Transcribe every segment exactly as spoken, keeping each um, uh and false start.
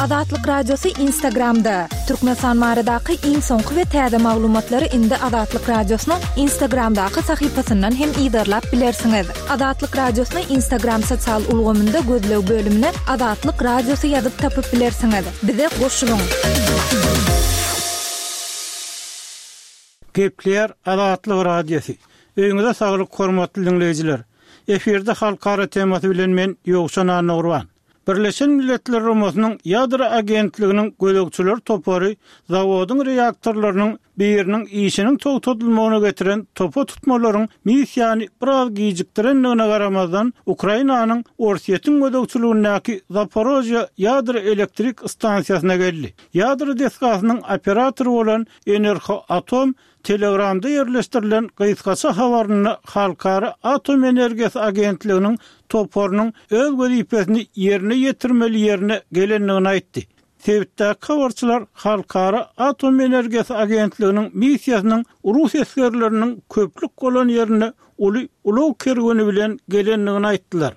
Azatlyk Radiosy Instagramda. Türkmenistan baradaky iň soňky we täze maglumatlary indi Azatlyk Radiosynyň Instagramdaky sahypasyndan hem yzarlap bilersiňiz. Azatlyk Radiosyny Instagram sosial ulgamynda gözleg bölümine Azatlyk Radiosy ýazyp tapyp bilersiňiz. Bize goşulyň. Gepleýär Azatlyk Radiosy. Öýüňize saglyk hormatly diňleýjiler. Efirde halkara temasy bilen men Ýowşan Annagurban. Birleşen Milletler Guramasynyň Ýadro agentliginiň gözegçiler topary zawodyň reaktorlarynyň biriniň işiniň togtadylmagyna getiren topa tutmalaryň missiýany biraz gijikdirendigine garamazdan, Ukrainanyň Orsýetiň gözegçiligindäki Zaporožýe ýadro elektrik stansiýasyna geldi. Ýadro desgasynyň operatory bolan Enerhoatom Telegramda ýerleşdirilen gysgaça habarynda Halkara Atom Energiýasy Agentliginiň toparynyň öz wezipesini ýerine ýetirmeli ýerine gelendigini aýtdy. Sebitdäki habarçylar Halkara Atom Energiýasy Agentliginiň missiýasynyň rus esgerleriniň köplük bolan ýerine uly ulag kerweni bilen gelendigini aýtdylar.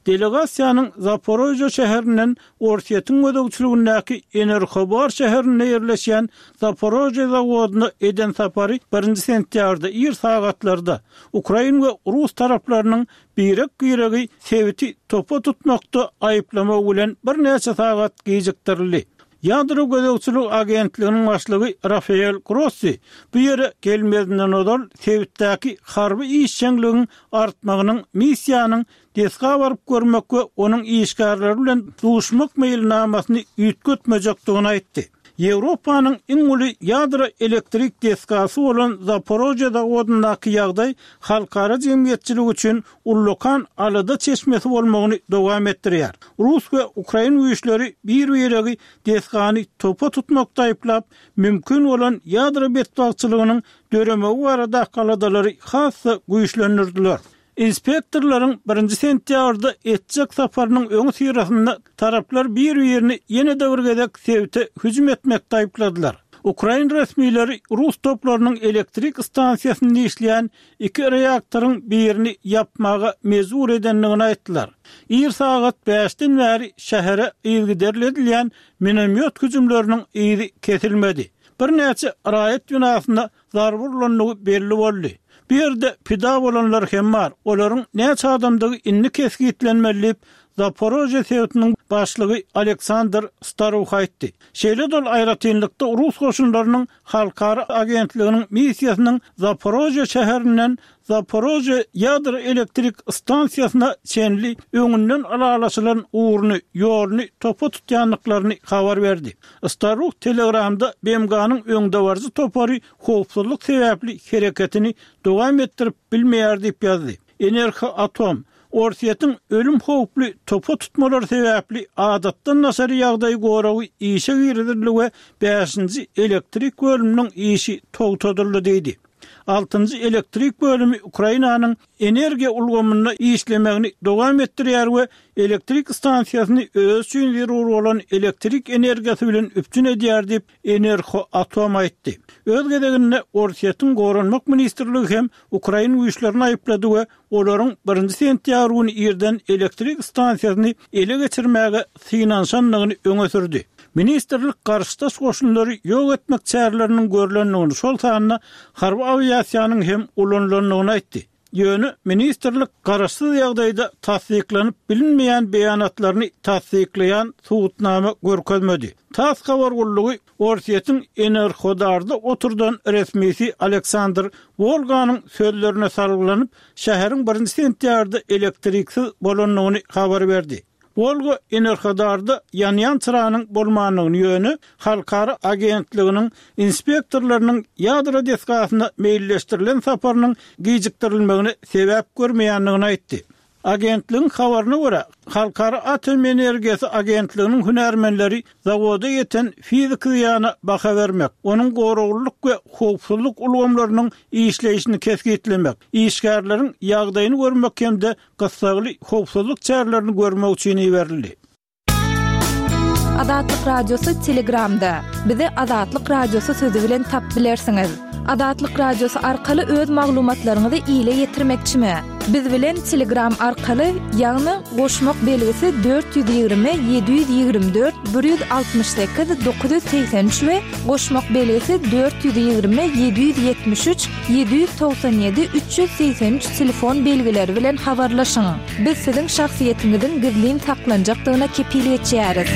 Delegasiýanyň Zaporožýe şäherinden Orsýetiň gözegçiligindäki Enerhobar şäherinde ýerleşýän Zaporožýe zawodyna eden sapary birinji sentýabrda ir sagatlarda ukrain we rus taraplarynyň birek-biregi sebiti topa tutmakda aýyplamagy bilen birnäçe sagat gijikdirildi. Ýadro gözegçilik agentliginiň başlygy Rafael Grossi bu ýere gelmezinden ozal sebitdäki harby işjeňligiň artmagynyň missiýanyň desga baryp görmek we onuň işgärleri bilen duşmak meýilnamasyny üýtgetmejekdigini aýtdy. Ýewropanyň iň uly ýadro elektrik desgasy bolan Zaporožýe zawodyndaky ýagdaý halkara jemgyýetçiligi üçin ullakan alada çeşmesi bolmagyny dowam etdirýär. Rus we ukrain güýçleri bir-biregi desgany topa tutmakda aýyplap, mümkin bolan ýadro betbagtçylygynyň döremegi baradaky aladalary has-da güýçlendirdiler. Inspektorlaryň birinji sentýabrda etjek saparynyň öňüsyrasynda taraplar bir-birini ýene-de bir gezek sebite hüjüm etmekde aýypladylar. Ukrain resmileri rus toplarynyň elektrik stansiýasynda işleýän iki reaktoryň birini ýapmaga mejbur edendigini aýtdylar. Ir sagat bäşden bäri şähere yzygiderli edilýän minomýot hüjümleriniň yzy kesilmedi. Birnäçe raýat binasyna zarba urlandygy belli boldy. Bu ýerde pida bolanlar hem bar. Olaryň näçe adamdygy indi kesgitlenmeli diýip, Zaporožýe sebitiniň başlygy Aleksandr Staruh aýtdy. Şeýle dol aýratynlykda rus goşunlarynyň halkara agentliginiň missiýasynyň Zaporožýe şäherinden Zaporožýe ýadro elektrik stansiýasyna çenli öňünden ylalaşylan ugruny, ýoluny topa tutýandyklaryny habar berdi. Staruh Telegramda B M G-nyň öňdebaryjy topary howpsuzlyk sebäpli hereketini dowam etdirip bilmeýär diýip ýazdy. Enerhoatom Orsýetiň ölüm howply topa tutmalary sebäpli adatdan daşary ýagdaý goragy işe girizildi we bäşinji elektrik bölüminiň işi togtadyldy diýdi. Altynjy elektrik bölümi Ukrainanyň energiýa ulgamynda işlemegini dowam etdirýär we elektrik stansiýasyny öz üçin zerur bolan elektrik energiýasy bilen üpjün edýär diýip Enerhoatom aýtdy. Öz gezeginde Orsýetiň Goranmak ministrligi hem ukrain güýçlerini aýyplady we olaryň birinji sentýabr güni irden elektrik stansiýasyny ele geçirmäge synanyşandygyny öňe sürdi. Ministrlik garşydaş goşunlary ýok etmek çäreleriniň görlendigini, şol sanda harby awiasiýanyň hem ulanylandygyny aýtdy. Ýöne ministrlik garaşsyz ýagdaýda tassyklanyp bilinmeýän beýanatlaryny tassyklaýan subutnama görkezmedi. TASS habar gullugy Orsýetiň Enerhodarda oturdan resmisi Aleksandr Wolganyň sözlerine salgylanyp, şäheriň birinji sentýabrda elektriksiz bolandygyny habar berdi. Wolga Enerhodarda ýanýan çyranyň bolmandygyny, ýöne halkara agentliginiň inspektorlarynyň ýadro desgasyna meýilleşdirilen saparynyň gijikdirilmegine sebäp görmeýändigini aýtdy. Agentligiň habaryna görä, Halkara Atom Energiýasy Agentliginiň hünärmenleri zawoda ýeten fiziki zyýana baha bermek, onuň goraglylyk we howpsuzlyk ulgamlarynyň işleýşini kesgitlemek, işgärleriň ýagdaýyny görmek hem-de gyssagly howpsuzlyk çärelerini görmek üçin iberildi. Azatlyk Radiosy Telegramda. Bizi Azatlyk Radiosy sözi bilen tap bilersiňiz. Azatlyk Radiosy arkaly öz maglumatlaryňyzy ile ýetirmekçimi? Biz bilen Telegram arkaly, ýagny goşmak belgisi dört ýüz ýigrimi ýedi ýüz ýigrimi dört bir ýüz altmyş sekiz dokuz ýüz segsen üç we goşmak belgisi dört ýüz ýigrimi ýedi ýüz ýetmiş üç ýedi ýüz togsan ýedi üç ýüz segsen üç telefon belgileri bilen habarlaşyň. Biz siziň şahsyýetiňiziň gizlin saklanjakdygyna kepil geçýäris.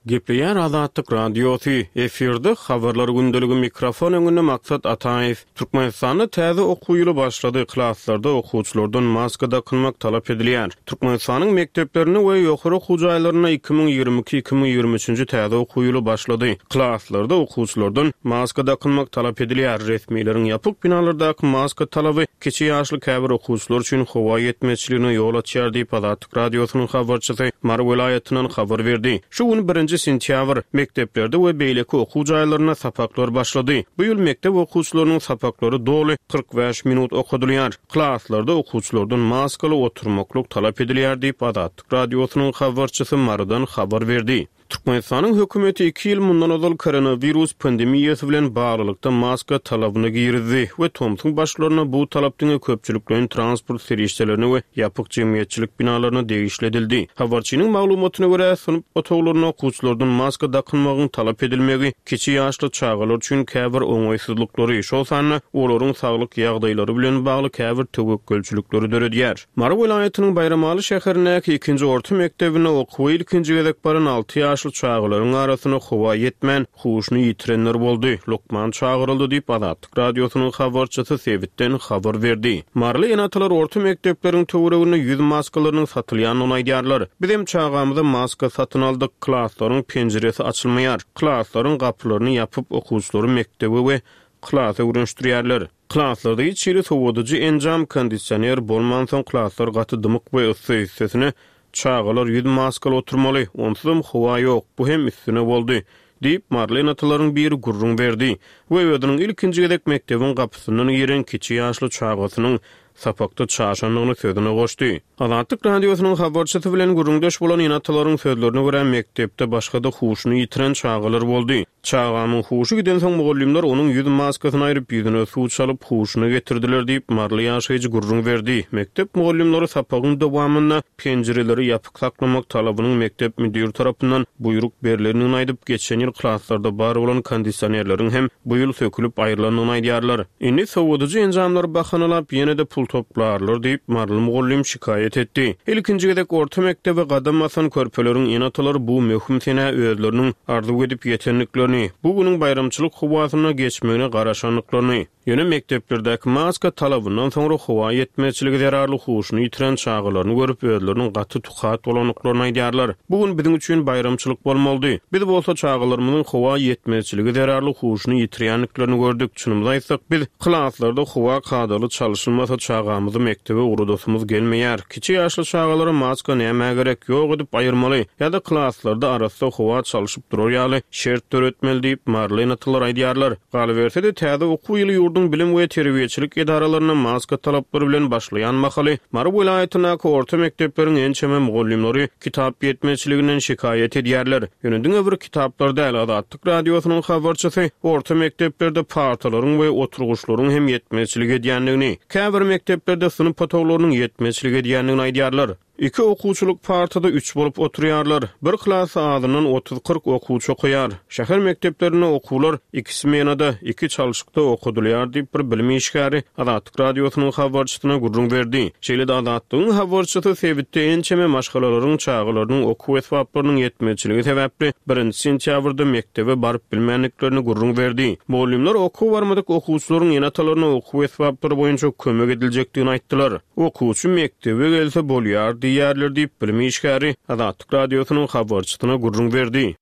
Gepleýär Azatlyk Radiosy, efirde Habarlar gündeligi, mikrofon öňünde Maksat Ataýew. Türkmenistanda täze okuw ýyly başlady, klaslarda okuwçylardan maska dakynmak talap edilýär. Türkmenistanyň mekdeplerinde we ýokary okuw jaýlarynda iki müň ýigrimi iki, iki müň ýigrimi üçünji täze okuw ýyly başlady. Klaslarda okuwçylardan maska dakynmak talap edilýär. Resmileriň ýapyk binalardaky maska talaby kiçi ýaşly käbir okuwçylar üçin howa ýetmezçiligine ýol açýar diýip, Azatlyk Radiosynyň habarçysy Mary welaýatyndan habar berdi. Şu gün birinji sentýabr, mekdeplerde we beýleki okuw jaýlarynda sapaklar başlady. Bu ýyl mekdep okuwçylarynyň sapaklary doly kyrk bäş minut okadylýar. Klaslarda okuwçylardan maskaly oturmaklyk talap edilýär diýip, Azatlyk Radiosynyň habarçysy Marydan habar berdi. Türkmenistanyň hökümeti iki ýyl mundan ozal koronawirus pandemiýasy bilen baglylykda maska talabyny girizdi we tomsuň başlarynda bu talap diňe köpçülikleýin transport serişdelerine we ýapyk jemgyýetçilik binalaryna degişli edildi. Habarçynyň maglumatyna görä, synp otaglarynda okuwçylardan maska dakynmagyň talap edilmegi kiçi ýaşly çagalar üçin käbir oňaýsyzlyklary, şol sanda olaryň saglyk ýagdaýlary bilen bagly käbir töwekgelçilikleri döredýär. Mary welaýatynyň Baýramaly şäherindäki ikinji orta mekdebinde okuwa ilkinji gezek baran alty ýaşly çagalaryň arasynda howa ýetmän, huşuny ýitirenler boldy, lukman çagyryldy diýip, Azatlyk Radiosynyň habarçysy sebitden habar berdi. Maryly ene-atalar orta mekdepleriň töwereginde ýüz maskalarynyň satylýandygyny aýdýarlar. Bizem çagamyza maska satyn aldyk, klaslaryň penjiresi açylmaýar, klaslaryň gapylaryny ýapyp, okuwçylary mekdebe we klasa öwrenişdirýärler. Klaslarda hiç hili sowadyjy enjam, kondisioner bolmansoň klaslar gaty dymyk we yssy, üstesine çagalar ýüz maskaly oturmaly, onsuzam howa ýok, bu hem üstüne boldy, diýip, maryly ene-atalaryň biri gürrüň berdi we özüniň ilkinji gezek mekdebiň gapysyndan giren kiçi ýaşly çagasynyň sapakda çaşandygyny sözüne goşdy. Azatlyk Radiosynyň habarçysy bilen gürrüňdeş bolan ene-atalaryň sözlerine görä, mekdepde başga-da huşuny ýitiren çagalar boldy. Çagamyň huşy gidensoň mugallymlar onuň ýüz maskasyny aýryp, ýüzüne suw çalyp, huşuna getirdiler diýip, maryly ýaşaýjy gürrüň berdi. Mekdep mugallymlary sapagyň dowamynda penjireleri ýapyk saklamak talabynyň mekdep müdiri tarapyndan buýruk berlendigini aýdyp, geçen ýyl klaslarda bar bolan kondisionerleriň hem bu ýyl sökülip aýrylandygyny aýdýarlar. Indi sowadyjy enjamlary bahanalap, ýene-de pul toplarlar diýip, maryly mugallym şikaýat etdi. Ilkinji gezek orta mekdebe gadam basan körpeleriň ene-atalary bu möhüm senä özleriniň arzuw edip ýetendiklerini, bu günüň baýramçylyk howasynda geçmegine garaşandyklaryny, ýöne mekdeplerdäki maska talabyndan soňra howa ýetmezçiligi zerarly huşuny ýitiren çagalaryny görüp, özleriniň gaty tukat bolandyklaryny aýdýarlar. Bu gün biziň üçin baýramçylyk bolmalydy. Biz bolsa çagalarymyzyň howa ýetmezçiligi zerarly huşuny ýitirýändiklerini gördük. Çynymyzy aýtsak, biz klaslarda howa kadaly çalşylmasa çagamyzy mekdebe ugradasymyz gelmeýär. Kiçi ýaşly çagalara maska nämä gerek, ýok edip aýyrmaly ýa-da klaslarda arassa howa çalşyp durar ýaly şert döretmeli diýip, maryly ene-atalar aýdýarlar. Galyberse-de, täze okuw ýyly ýurduň bilim we terbiýeçilik edaralarynda maska talaplary bilen başlaýan mahaly Mary welaýatyndaky orta mekdepleriň ençeme mugallymlary kitap ýetmezçiliginden şikaýat edýärler. Ýöne diňe bir kitaplar däl, Azatlyk Radiosynyň habarçysy orta mekdeplerde partalaryň we oturgyçlaryň hem ýetmezçilik edýändigini, käbir mekdeplerde synp otaglarynyň ýetmezçilik edýändigini aýdýarlar. Iki okuwçylyk partada üç bolup oturýarlar. Bir klasda azyndan otuz-kyrk okuwçy okaýar. Şäher mekdeplerinde okuwlar iki smenada, iki çalşykda okadylýar diýip, bir bilim işgäri Azatlyk Radiosynyň habarçysyna gürrüň berdi. Şeýle-de Azatlygyň habarçysy sebitde ençeme maşgalalaryň çagalarynyň okuw esbaplarynyň ýetmezçiligi sebäpli birinji sentýabrda mekdebe baryp bilmändiklerini gürrüň berdi. Mugallymlar okuw barmadyk okuwçylaryň ene-atalaryna okuw esbaplary boýunça kömek ediljekdigini aýtdylar. Okuwçy mekdebe gelse bolýar diýýärler diýip, bilim işgäri Azatlyk Radiosynyň habarçysyna gürrüň berdi.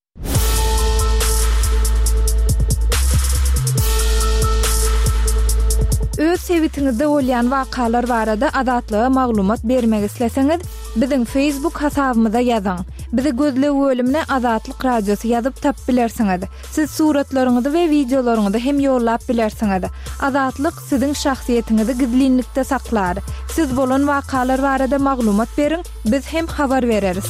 Öz sebitiňizde bolýan wakalar barada Azatlyga maglumat bermek isleseňiz, biziň Facebook hasabymyza ýazyň. Bizi gözleg bölümine Azatlyk Radiosy ýazyp tapyp bilersiňiz. Siz suratlaryňyzy we wideolaryňyzy hem ýollap bilersiňiz. Azatlyk siziň şahsyýetiňizi gizlinlikde saklar. Siz bolan wakalar barada maglumat beriň, biz hem habar bereris.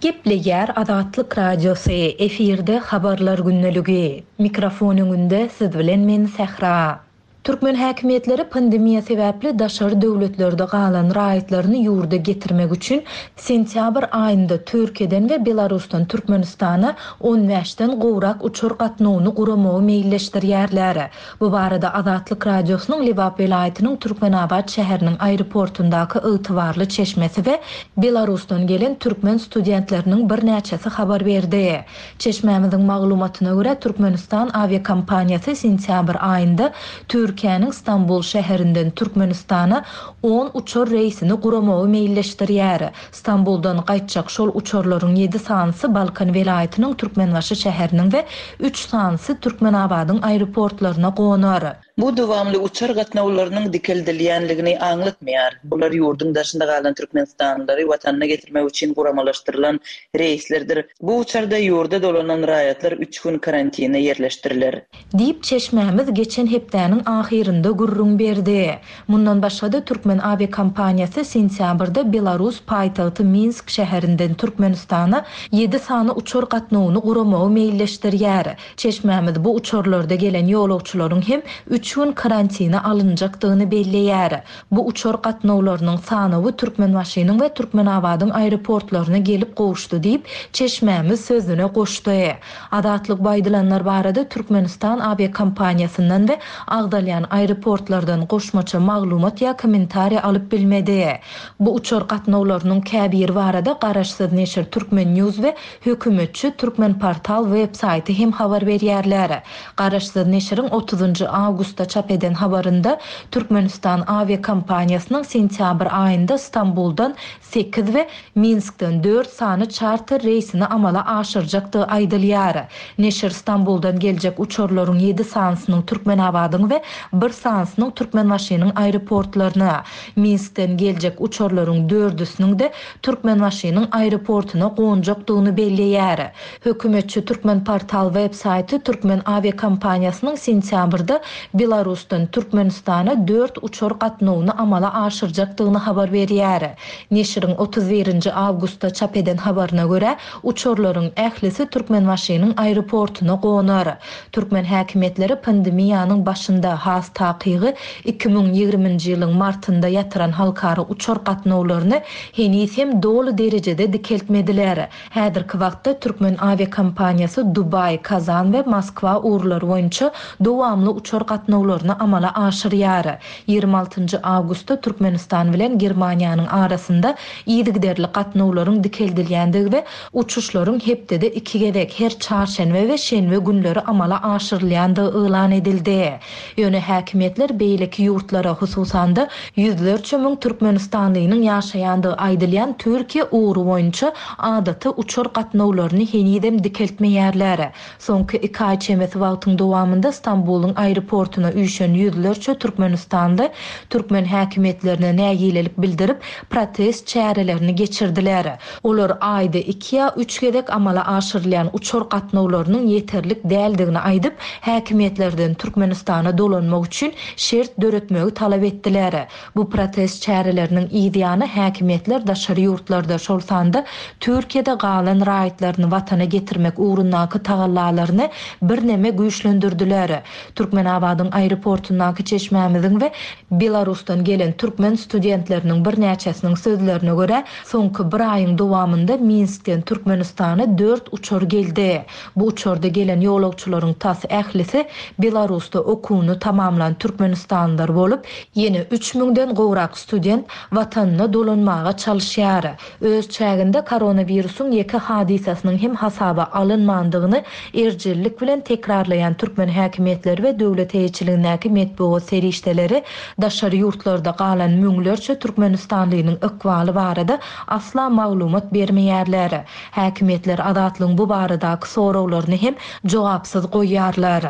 Gepleýär Azatlyk Radiosy, efirde Habarlar gündeligi. Mikrofon öňünde siz bilen men Sähra. Türkmen häkimiýetleri pandemiýa sebäpli daşary döwletlerde galan raýatlaryny ýurda getirmek üçin sentýabr aýynda Türkiýeden we Belarusdan Türkmenistana on bäşden gowrak uçar gatnawyny guramagy meýilleşdirýärler. Bu barada Azatlyk Radiosynyň Lebap welaýatynyň Türkmenabat şäheriniň aeroportundaky ygtybarly çeşmesi we Belarusdan gelen türkmen studentleriniň birnäçesi habar berdi. Çeşmämiziň maglumatyna görä, Türkmenistan awiakompaniýasy sentýabr aýynda Türkiýäniň Stambul şäherinden Türkmenistana on uçar reýsini guramagy meýilleşdirýär. Stambuldan gaýtjak şol uçarlaryň ýedi sanysy Balkan welaýatynyň Türkmenbaşy şäheriniň we üç sanysy Türkmenabadyň aeroportlaryna gonar. Bu dowamly uçar gatnawlarynyň dikeldilýänligini aňlatmaýar. Bular ýurduň daşynda galan türkmenistanlylary watanyna getirmek üçin guramalaşdyrylan reýslerdir. Bu uçarda ýurda dolanan raýatlar üç gün karantine ýerleşdiriler. Diýip çeşmämiz geçen hepdäniň ahyrynda gürrüň berdi. Mundan başga-da Türkmen awiakompaniýasy sentýabrda Belarus paýtagty Minsk şäherinden Türkmenistana ýedi sany uçar gatnawyny guramagy meýilleşdirýär. Çeşmämiz bu uçarlarda gelen ýolagçylaryň hem üç gün karantina alynjakdygyny belleýär. Bu uçar gatnawlarynyň sanawy Türkmenbaşynyň we Türkmenabadyň aeroportlaryna gelip gowuşdy diýip çeşmämiz sözüne goşdy. Azatlyk baýdylanlar barada Türkmenistan awiakompaniýasyndan we agdalýan aeroportlardan goşmaça maglumat ýa kommentariýa alyp bilmedi. Bu uçar gatnawlarynyň käbiri barada garaşsyz neşir Türkmen News we hökümetçi Türkmen Portal web saýty hem habar berýärler. Garaşsyz neşiriň otuzynjy awgustda çap eden habarynda Türkmenistan awiakompaniýasynyň sentýabr aýynda Stambuldan sekiz we Minskden dört sany çarter reýsini amala aşyrjakdygy aýdylýar. Neşir Stambuldan geljek uçarlaryň ýedi sanysynyň Türkmenabadyň we bir sanysynyň Türkmenbaşynyň aeroportlaryna, Minskden geljek uçarlaryň dördüsiniň de Türkmenbaşynyň aeroportuna gonjakdygyny belleýär. Hökümetçi Türkmen Portal web saýty Türkmen awiakompaniýasynyň sentýabrda Belarusdan Türkmenistana dört uçar gatnawyny amala aşyrjakdygyny habar berýär. Neşiriň otuz birinji awgustda çap eden habaryna görä, uçarlaryň ählisi Türkmenbaşynyň aeroportuna gonar. Türkmen häkimiýetleri pandemiýanyň başynda has takygy iki müň ýigriminji ýylyň martynda ýatyran halkara uçar gatnawlaryny heniz hem doly derejede dikeltmediler. Häzirki wagtda Türkmen awiakompaniýasy Dubaý, Kazan we Moskwa ugurlary boýunça dowamly uçar gatnawlaryny amala aşyrýar. Ýigrimi altynjy awgustda Türkmenistan bilen Germaniýanyň arasynda yzygiderli gatnawlaryň dikeldilýändigi we uçuşlaryň hepdede iki gezek her çarşenbe we şenbe günleri amala aşyrylýandygy yglan edildi. Ýöne häkimiýetler beýleki ýurtlara, hususan-da ýüzlerçe müň türkmenistanlynyň ýaşaýandygy aýdylýan Türkiýe ugry boýunça adaty uçar gatnawlaryny henizem dikeltmeýärler. Soňky iki aý çemesi wagtyň dowamynda Stambulyň aeroportuna üýşen ýüzlerçe türkmenistanly türkmen häkimiýetlerine nägilelik bildirip protest çärelerini geçirdiler. Olar aýda iki ýa üç gezek amala aşyrylýan uçar gatnawlarynyň ýeterlik däldigini aýdyp, häkimiýetlerden Türkmenistana dolanmak üçin şert döretmegi talap etdiler. Bu protest çäreleriniň yzýany häkimiýetler daşary ýurtlarda, şol sanda Türkiýede galan raýatlaryny watana getirmek ugrundaky tagallalaryny birneme güýçlendirdiler. Türkmenabadyň aeroportundaky çeşmämiziň we Belarusdan gelen türkmen studentleriniň birnäçesiniň sözlerine görä, soňky bir aýyň dowamynda Minskden Türkmenistana dört uçar geldi. Bu uçarda gelen ýolagçylaryň tas ählisi Belarusda okuwyny tamamlan türkmenistanlylar bolup, ýene üç müňden gowrak student watanyna dolanmaga çalyşýar. Öz çäginde koronawirusyň ýeke hadysasynyň hem hasaba alynmandygyny erjellik bilen tekrarlaýan türkmen häkimiýetleri we döwlet eýeçiligindäki metbugat serişdeleri daşary ýurtlarda galan müňlerçe türkmenistanlynyň ykbaly barada asla maglumat bermeýärler. Häkimiýetler Azatlygyň bu baradaky soraglaryny hem jogapsyz goýýarlar.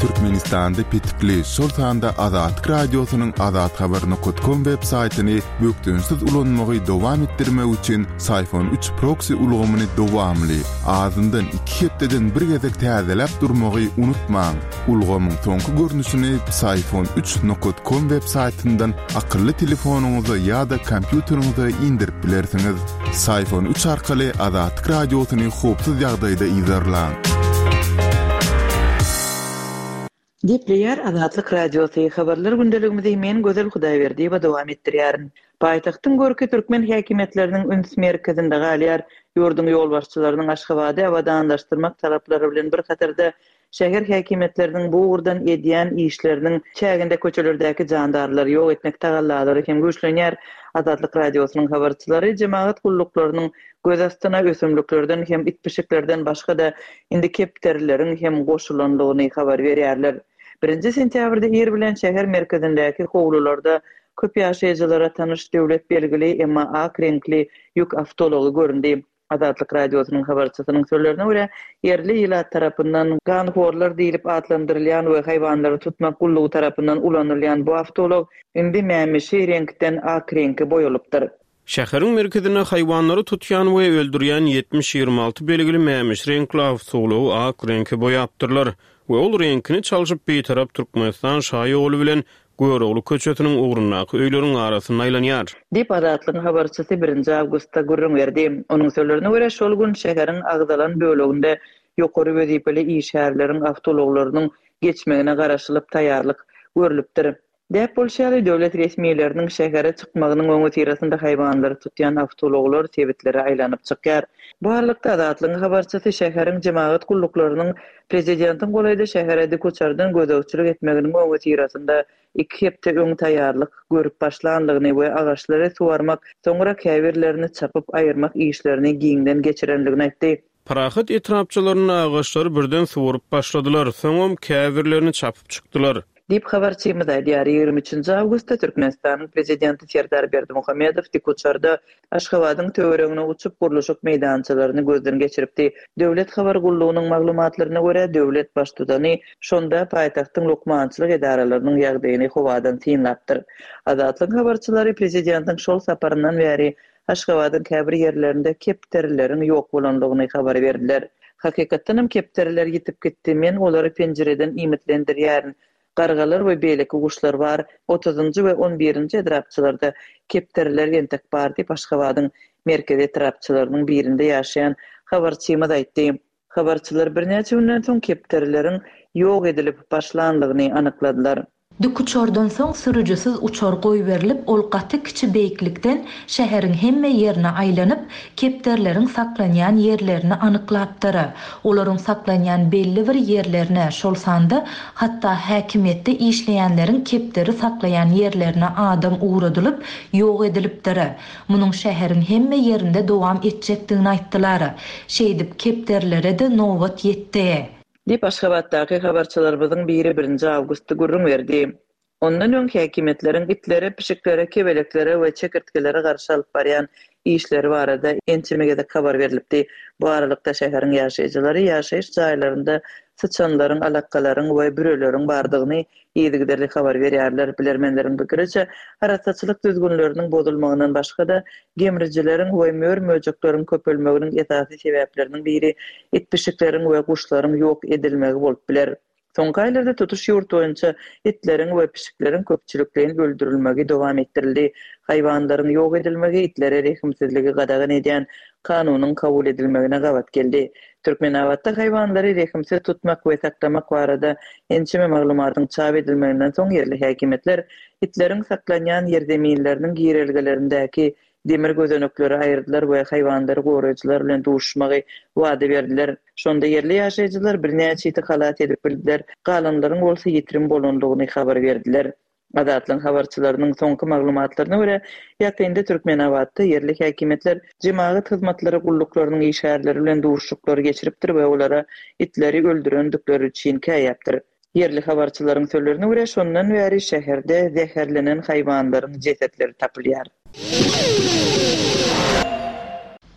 Türkmenistanda petikli, şol sanda Azatlyk Radiosynyň azathabar nokat com web saýtyny bökdençsiz ulanmagy dowam etdirmek üçin Psiphon üç proksi ulgamyny dowamly, azyndan iki hepdeden bir gezek täzeläp durmagy unutmaň. Ulgamyň soňky görnüşini Psiphon üç nokat com web saýtyndan akylly telefonyňyza ýa-da kompýuteriňize indirip bilersiňiz. Psiphon üç arkaly Azatlyk Radiosyny howpsuz ýagdaýda yzarlaň. Gepleýär Azatlyk Radiosy, habarlar gündeligimizi men Gözel Hudaýberdiýewa dowam etdirýärin. Paýtagtyň görki türkmen häkimiýetleriniň üns merkezinde galýar. Ýurduň ýolbaşçylarynyň Aşgabady abadanlaşdyrmak talaplary bilen bir hatarda şäher häkimiýetleriniň bu ugurdan edýän işleriniň çäginde köçelerdäki jandarlary ýok etmek tagallalary hem güýçlenýär. Azatlyk Radiosynyň habarçylary jemagat gulluklarynyň göz astyna ösümliklerden hem it-pişiklerden başga-da indi kepderileriň hem goşulandygyny habar berýärler. Birinji sentýabrda ir bilen şäher merkezindäki howlularda köp ýaşaýjylara tanyş döwlet belgili, emma ak reňkli ýük awtoulagy göründi. Azatlyk Radiosynyň habarçysynyň sözlerine görä, ýerli ilat tarapyndan ganhorlar diýlip atlandyrylýan we haýwanlary tutmak gullugy tarapyndan ulanylýan bu awtoulag indi mämişi reňkden ak reňke boýalypdyr. Şäheriň merkezinde haýwanlary tutýan we öldürýän ýetmiş ýigrimi alty belgili mämişi reňkli awtoulagy ak reňke boýapdyrlar we ol reňkini çalşyp bitarap Türkmenistan şaýoly bilen Görogly köçesiniň ugrundaky öýleriň arasynda aýlanýar. Diýip, Azatlygyň habarçysy birinji awgustda gürrüň berdi. Onuň sözlerine görä, şol gün şäheriň agzalan böleginde ýokary wezipeli işgärleriň awtoulaglarynyň geçmegine garaşylyp taýýarlyk görlüpdir. Däp bolşy ýaly, döwlet resmileriniň şähere çykmagynyň öňüsyrasynda haýwanlary tutýan awtoulaglar sebitlere aýlanyp çykýar. Bu aralykda Azatlygyň habarçysy şäheriň jemagat gulluklarynyň prezidentiň golaýda şähere dikuçardan gözegçilik etmeginiň öňüsyrasynda iki hepde öň taýýarlyk görüp başlandygyny we agaçlary suwarmak, soňra käbirlerini çapyp aýyrmak işlerini giňden geçirendigini aýtdy. Parahat etrapçalarynda agaçlary birden suwaryp başladylar, soňam käbirlerini çapyp çykdylar. Diýip habarçymyz aýdýar. Ýigrimi üçünji awgustda Türkmenistanyň prezidenti Serdar Berdimuhamedow dikuçarda Aşgabadyň töweregine uçup gurluşyk meýdançalaryny gözden geçiripdi. Döwlet habar gullugynyň maglumatlaryna görä, döwlet baştutany şonda paýtagtyň lukmançylyk edaralarynyň ýagdaýyny howadan synlapdyr. Azatlygyň habarçylary prezidentiň şol saparyndan bäri Aşgabadyň käbir ýerlerinde kepderileriň ýok bolandygyny habar berdiler. Hakykatdan hem kepderiler ýitip gitdi. Men olary penjireden iýmitlendirýärin. Gargalar we beýleki guşlar bar. Otuzynjy we on birinji etrapçalarda kepderiler entek bar diýip Aşgabadyň merkezi etrapçalarynyň birinde ýaşaýan habarçymyz aýtdy. Habarçylar birnäçe günden soň kepderileriň ýok edilip başlandygyny anykladylar. Dikuçardan soň sürüjisiz uçar goýberilip, ol gaty kiçi beýiklikden şäheriň hemme ýerine aýlanyp, kepderileriň saklanýan ýerlerini anyklapdyr. Olaryň saklanýan belli bir ýerlerine, şol sanda hatda häkimiýetde işleýänleriň kepderi saklaýan ýerlerine adam ugradylyp, ýok edilipdir. Munuň şäheriň hemme ýerinde dowam etjekdigini aýtdylar. Şeýdip kepderilere-de nobat ýetdi. Diýip Aşgabatdaky habarçylarymyzyň biri birinji awgustda gürrüň berdi. Ondan öň häkimiýetleriň itlere, pişiklere, kebeleklere we çekirtgelere garşy alyp barýan işleri barada ençeme gezek habar berilipdi. Bu aralykda şäheriň ýaşaýjylary ýaşaýyş jaýlarynda syçanlaryň, alakalaryň we büreleriň bardygyny yzygiderli habar berýärler. Bilermenleriň pikiriçe, arassaçylyk düzgünleriniň bozulmagyndan başga-da gemrijileriň we mör-möjekleriň köpelmeginiň esasy sebäpleriniň biri it-pişikleriň we guşlaryň ýok edilmegi bolup biler. Soňky aýlarda tutuş ýurt boýunça itleriň we pişikleriň köpçülikleýin öldürilmegi dowam etdirildi. Haýwanlaryň ýok edilmegi itlere rehimsizligi gadagan edýän kanunyň kabul edilmegine gabat geldi. Türkmenabatda haýwanlary rehimsiz tutmak we saklamak barada ençeme maglumatyň çap edilmeginden soň ýerli häkimiýetler itleriň saklanýan ýerzeminleriniň girelgelerindäki demir gözenekleri aýyrdylar we haýwanlary goraýjylar bilen duşmagy wada berdiler. Şonda ýerli ýaşaýjylar birnäçe iti halat edip bildiler, galanlaryň bolsa ýitirim bolandygyny habar berdiler. Azatlygyň habarçylarynyň soňky maglumatlaryna görä, ýakynda Türkmenabatda ýerli häkimiýetler jemagat hyzmatlary gulluklarynyň işgärleri bilen duşuşyklary geçiripdir we olara itleri öldürendikleri üçin käýäpdir. Ýerli habarçylaryň sözlerine görä, şondan bäri şäherde zäherlenen haýwanlaryň jesetleri tapylýar.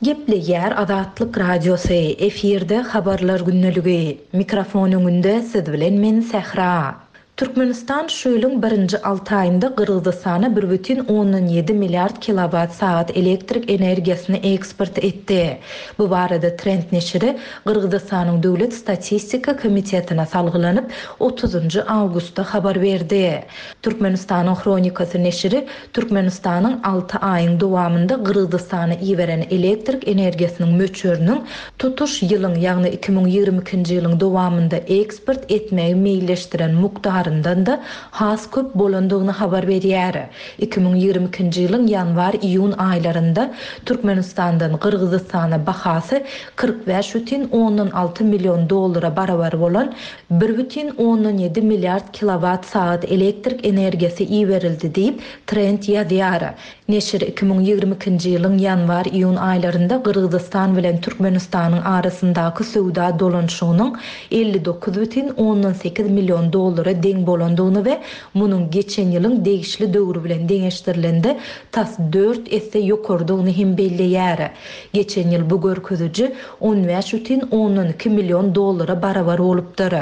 Gepleýär Azatlyk Radiosy, efirde Habarlar gündeligi. Mikrofon öňünde siz bilen men Sähra. Türkmenistan şu ýylyň birinji alty aýynda Gyrgyzystana bir bütin ondan ýedi milliard kilowat sagat elektrik energiýasyny eksport etdi. Bu barada Trend neşiri Gyrgyzystanyň Döwlet statistika komitetine salgylanyp, otuzynjy awgustda habar berdi. Türkmenistanyň Hronikasy neşiri Türkmenistanyň alty aýyň dowamynda Gyrgyzystana iberen elektrik energiýasynyň möçberiniň tutuş ýylyň, ýagny iki müň ýigrimi ikinji ýylyň dowamynda eksport etmegi meýilleşdiren mukdaryndan-da has köp bolandygyny habar berýär. Iki müň ýigrimi ikinji ýylyň ýanwar-iýun aýlarynda Türkmenistandan Gyrgyzystana bahasy kyrk bäş bütin ondan alty million dollara barabar bolan bir bütin ondan ýedi milliard kilowat sagat elektrik energiýasy iberildi diýip, Trend ýazýar. Neşir iki müň ýigrimi ikinji ýylyň ýanwar-iýun aýlarynda Gyrgyzystan bilen Türkmenistanyň arasyndaky söwda dolanyşygynyň elli dokuz bütin ondan sekiz million dollara deň bolandygyny we munuň geçen ýylyň degişli döwri bilen deňeşdirilende tas dört esse ýokarydygyny hem belleýär. Geçen ýyl bu görkeziji on bäş bütin ondan iki million dollara barabar bolupdyr.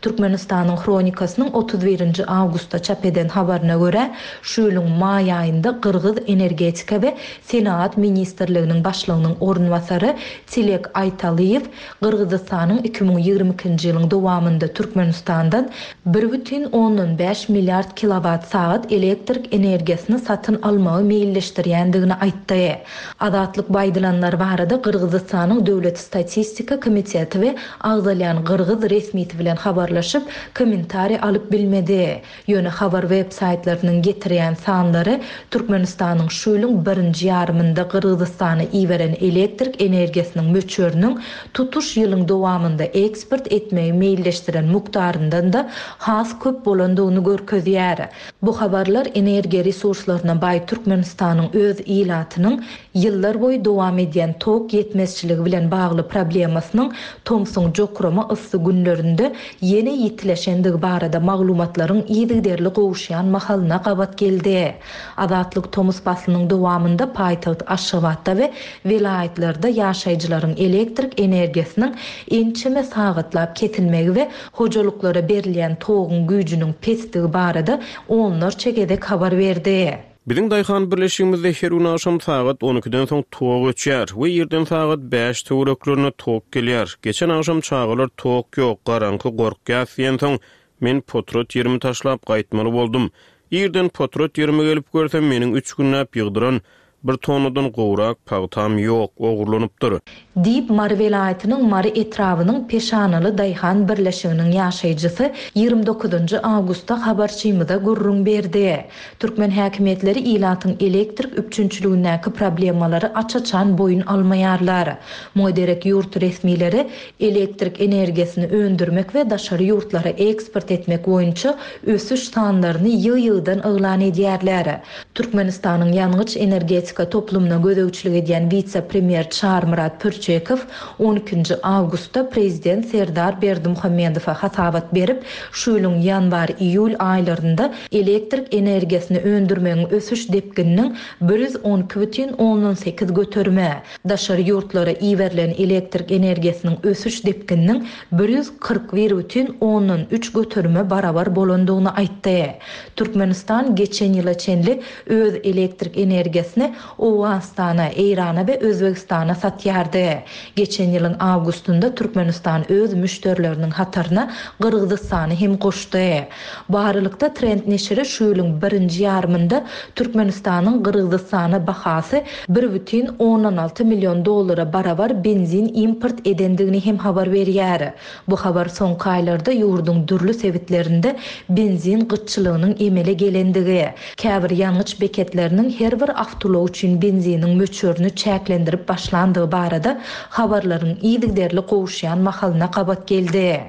Türkmenistanyň Hronikasynyň otuz birinji awgustda çap eden habaryna görä, şu ýylyň maý aýynda Gyrgyz Energetika we Senagat ministrliginiň başlygynyň orunbasary Tilek Aýtalyýew Gyrgyzystanyň iki müň ýigrimi ikinji ýylyň dowamynda Türkmenistandan bir bütin ondan bäş milliard kilowat sagat elektrik energiýasyny satyn almagy meýilleşdirýändigini aýtdy. Azatlyk bu aýdylanlar barada Gyrgyzystanyň Döwlet statistika komiteti we agzalýan gyrgyz resmisi bilen habarlaşyp, kommentariý alyp bilmedi. Ýöne habar web saýtlarynyň getirýän sanlary Türkmenistanyň şu ýylyň birinji ýarymynda Gyrgyzystana iberen elektrik energiýasynyň möçberiniň tutuş ýylyň dowamynda eksport etmegi meýilleşdiren mukdaryndan-da has köp bolandygyny görkezýär. Bu habarlar energiýa resurslaryna baý Türkmenistanyň öz ilatynyň ýyllar boýy dowam edýän tok ýetmezçiligi bilen bagly problemasynyň tomsuň jokrama yssy günlerinde ýene ýitileşendigi barada maglumatlaryň yzygiderli gowuşýan mahalyna gabat geldi. Azatlyk tomus paslynyň dowamynda paýtagt Aşgabatda we welaýatlarda ýaşaýjylaryň elektrik energiýasynyň ençeme sagatlap kesilmegi we hojalyklara berilýän toguň güýjüniň pesdigi barada onlarça gezek habar berdi. Biziň daýhan birleşigimizde her gün agşam sagat on ikiden soň tok öçýär we irden sagat bäş töwereklerine tok gelýär. Geçen agşam çagalar tok ýok, garaňky gorkýas diýen soň men potrat ýerimi taşlap gaýtmaly boldum. Irden potrat ýerime gelip görsem meniň üç günläp ýygdyran bir tonnadan gowrak pagtam ýok, ogurlanypdyr. Diýip Mary welaýatynyň Mary etrabynyň Peşanaly daýhan birleşiginiň ýaşaýjysy ýigrimi dokuzynjy awgustda habarçymyza gürrüň berdi. Türkmen häkimiýetleri ilatyň elektrik üpjünçiligindäki problemalary aç-açan boýun almaýarlar. Muňa derek ýurt resmileri elektrik energiýasyny öndürmek we daşary ýurtlara eksport etmek boýunça ösüş sanlaryny ýygy-ýygydan yglan edýärler. Türkmenistanyň ýangyç energetika toplumyna gözegçilik edýän wise-premýer Çarmyrat Pürçekow on ikinji awgustda prezident Serdar Berdimuhamedowa hasabat berip, şu ýylyň ýanwar-iýul aýlarynda elektrik energiýasyny öndürmegiň ösüş depgininiň bir ýüz on iki bütin ondan sekiz göterime, daşary ýurtlara iberilen elektrik energiýasynyň ösüş depgininiň bir ýüz kyrk bir bütin ondan üç göterime barabar bolandygyny aýtdy. Türkmenistan geçen ýyla çenli öz elektrik energiýasyny Owganystana, Eýrana we Özbegistana satýardy. Geçen ýylyň awgustynda Türkmenistan öz müşderileriniň hataryna Gyrgyzystany hem goşdy. Bu aralykda Trend neşiri şu ýylyň birinji ýarymynda Türkmenistanyň Gyrgyzystana bahasy bir bütin ondan alty million dollara barabar benzin import edendigini hem habar berýär. Bu habar soňky aýlarda ýurduň dürli sebitlerinde benzin gytçylygynyň emele gelendigi, käbir ýangyç beketleriniň her bir awtoulag üçin benziniň möçberini çäklendirip başlandygy barada habarlaryň yzygiderli gowuşýan mahalyna gabat geldi.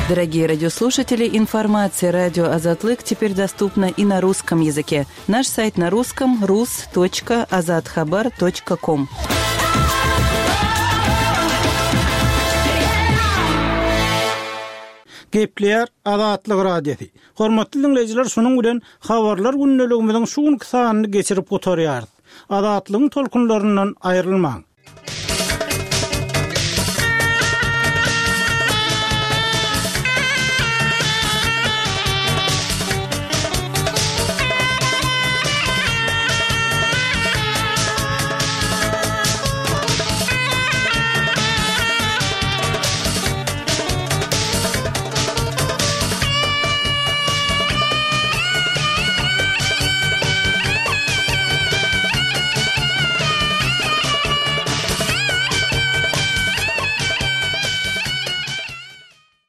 Дорогие радиослушатели, информация радио Азатлык теперь доступна и на русском языке. Наш сайт на русском рус точка азатхабар точка ком. Gepleýär Azatlyk Radiosy. Hormatly diňleýjiler, şunuň bilen Habarlar gündeligimiziň şu günki sanyny geçirip gutarýarys. Azatlygyň tolkunlaryndan aýrylmaň.